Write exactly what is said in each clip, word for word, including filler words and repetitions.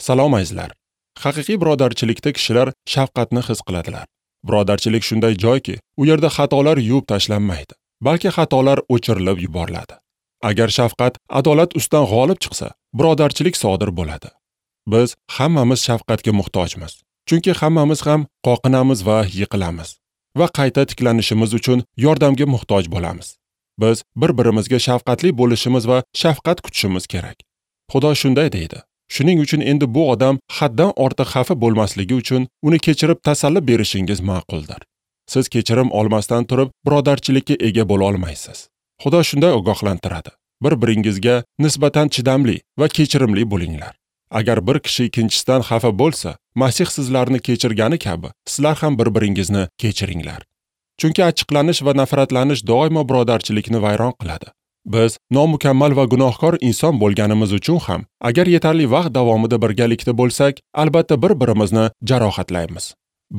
Salom azizlar. Haqiqiy birodarchilikda kishilar shafqatni his qiladilar. Birodarchilik shunday joyki, u yerda xatolar yuvib tashlanmaydi, balki xatolar o'chirilib yuboriladi. Agar shafqat adolat ustidan g'olib chiqsa, birodarchilik sodir bo'ladi. Biz hammamiz shafqatga muhtojmiz. Chunki hammamiz ham qoqinamiz va yiqilamiz va qayta tiklanishimiz uchun yordamga muhtoj bo'lamiz. Biz bir-birimizga shafqatli bo'lishimiz va shafqat kutishimiz kerak. Xudo shunday deydi. Shuning uchun endi bu odam haddan ortiq xafa bo'lmasligi uchun uni kechirib tasalli berishingiz ma'quldir. Siz kechirim olmasdan turib birodarchilikka ega bo'la olmaysiz. Xudo shunday ogohlantiradi. Bir-biringizga nisbatan chidamli va kechirimli bo'linglar. Agar bir kishi ikkinchisidan xafa bo'lsa, Masih sizlarni kechirgani kabi, sizlar ham bir-biringizni kechiringlar. Chunki achchiqlanish va nafratlanish doimo birodarchilikni vayron qiladi. Biz nomukammal va gunohkor inson bo'lganimiz uchun ham, agar yetarli vaqt davomida birgalikda bo'lsak, albatta bir-birimizni jarohatlaymiz.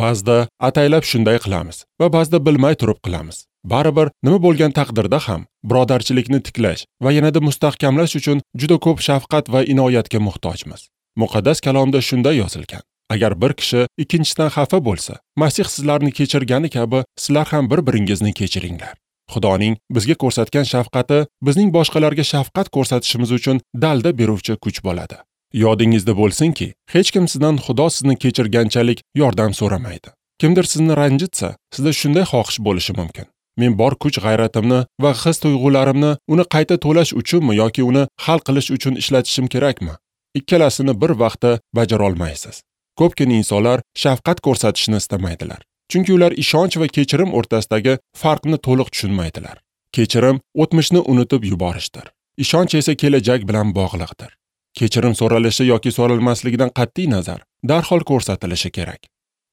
Ba'zida ataylab shunday qilamiz va ba'zida bilmay turib qilamiz. Baribir nima bo'lgan taqdirda ham birodarchilikni tiklash va yanada mustahkamlash uchun juda ko'p shafqat va inoyatga muhtojmiz. Muqaddas kalomda shunday yozilgan. Agar bir kishi ikkinchisidan xafa bo'lsa, Masih sizlarni kechirgani kabi sizlar ham bir-biringizni kechiringlar. Xudoning bizga ko'rsatgan shafqati bizning boshqalarga shafqat ko'rsatishimiz uchun dalda beruvchi kuch bo'ladi. Yodingizda bo'lsinki, hech kim sizdan Xudo sizni kechirganchalik yordam so'ramaydi. Kimdir sizni ranjitsa, sizda shunday xohish bo'lishi mumkin. Men bor kuch g'ayratimni va his tuyg'ularimni uni qayta to'lash uchunmi yoki uni hal qilish uchun ishlatishim kerakmi? Ikkalasini bir vaqtda bajara olmaysiz. Ko'pgina insonlar shafqat ko'rsatishni istamaydilar. Chunki ular ishonch va kechirim o'rtasidagi farqni to'liq tushunmaydilar. Kechirim o'tmishni unutib yuborishdir. Ishonch esa kelajak bilan bog'liqdir. Kechirim so'ralishi yoki so'ralmasligidan qat'iy nazar darhol ko'rsatilishi kerak.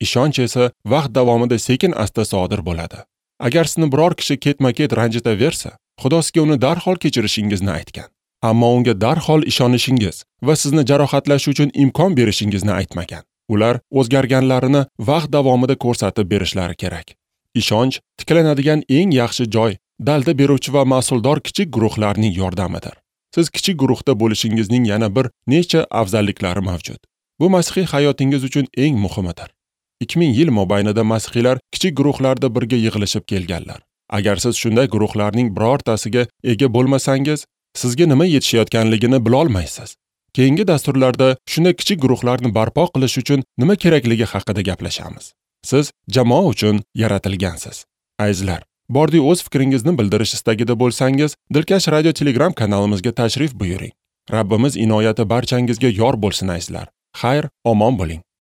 Ishonch esa vaqt davomida sekin-asta sodir bo'ladi. Agar sizni biror kishi ketma-ket ranjitaversa, Xudo sizga uni darhol kechirishingizni aytgan. Ammo unga darhol ishonishingiz va sizni jarohatlash uchun imkon berishingizni aytmagan. Ular o'zgarganlarini vaqt davomida ko'rsatib berishlari kerak. Ishonch tiklanadigan eng yaxshi joy dalda beruvchi va mas'uldor kichik guruhlarning yordamidir. Siz kichik guruhda bo'lishingizning yana bir necha afzalliklari mavjud. Bu masihiy hayotingiz uchun eng muhimidir. ikki ming yil mobaynida masihiylar kichik guruhlarda birga yig'ilishib kelganlar. Agar siz shunday guruhlarning birortasiga ega bo'lmasangiz, sizga nima yetishayotganligini bila olmaysiz. Keyingi dasturlarda shunday kichik guruhlarni barpo qilish uchun nima kerakligi haqida gaplashamiz. Siz jamoa uchun yaratilgansiz. Azizlar, bordi o'z fikringizni bildirish istagida bo'lsangiz, Dilkash Radio Telegram kanalimizga tashrif buyuring. Rabbimiz inoyati barchangizga yor bo'lsin azizlar. Xayr, omon bo'ling.